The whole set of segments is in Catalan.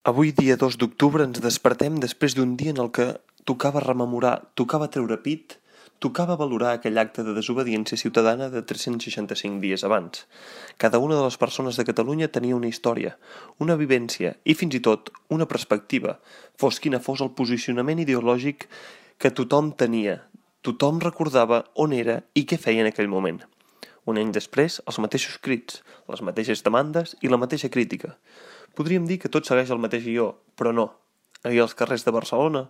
Avui, dia 2 d'octubre, ens despertem després d'un dia en el que tocava rememorar, tocava treure pit, tocava valorar aquell acte de desobediència ciutadana de 365 dies abans. Cada una de les persones de Catalunya tenia una història, una vivència i fins i tot una perspectiva, fos quina fos el posicionament ideològic que tothom tenia. Tothom recordava on era i què feia en aquell moment. Un any després, els mateixos crits, les mateixes demandes i la mateixa crítica. Podríem dir que tot segueix el mateix guió, però no. Ahir als carrers de Barcelona,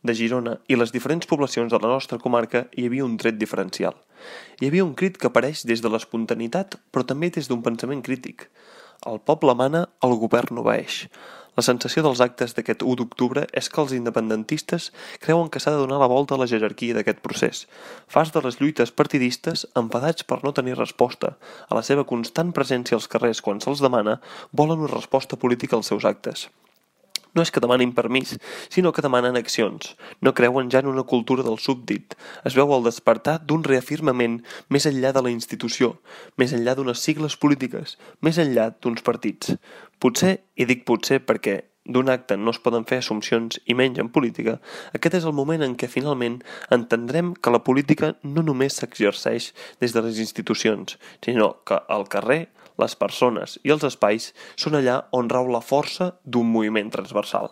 de Girona i les diferents poblacions de la nostra comarca hi havia un tret diferencial. Hi havia un crit que apareix des de l'espontaneïtat, però també des d'un pensament crític. El poble mana, el govern obeeix. La sensació dels actes d'aquest 1 d'octubre és que els independentistes creuen que s'ha de donar la volta a la jerarquia d'aquest procés. Fars de les lluites partidistes, enfadats per no tenir resposta a la seva constant presència als carrers quan se'ls demana, volen una resposta política als seus actes. No és que demanin permís, sinó que demanen accions. No creuen ja en una cultura del súbdit. Es veu el despertar d'un reafirmament més enllà de la institució, més enllà d'unes sigles polítiques, més enllà d'uns partits. Potser, i dic potser perquè d'un acte no es poden fer assumpcions i menys en política, aquest és el moment en què finalment entendrem que la política no només s'exerceix des de les institucions, sinó que al carrer, les persones i els espais són allà on rau la força d'un moviment transversal.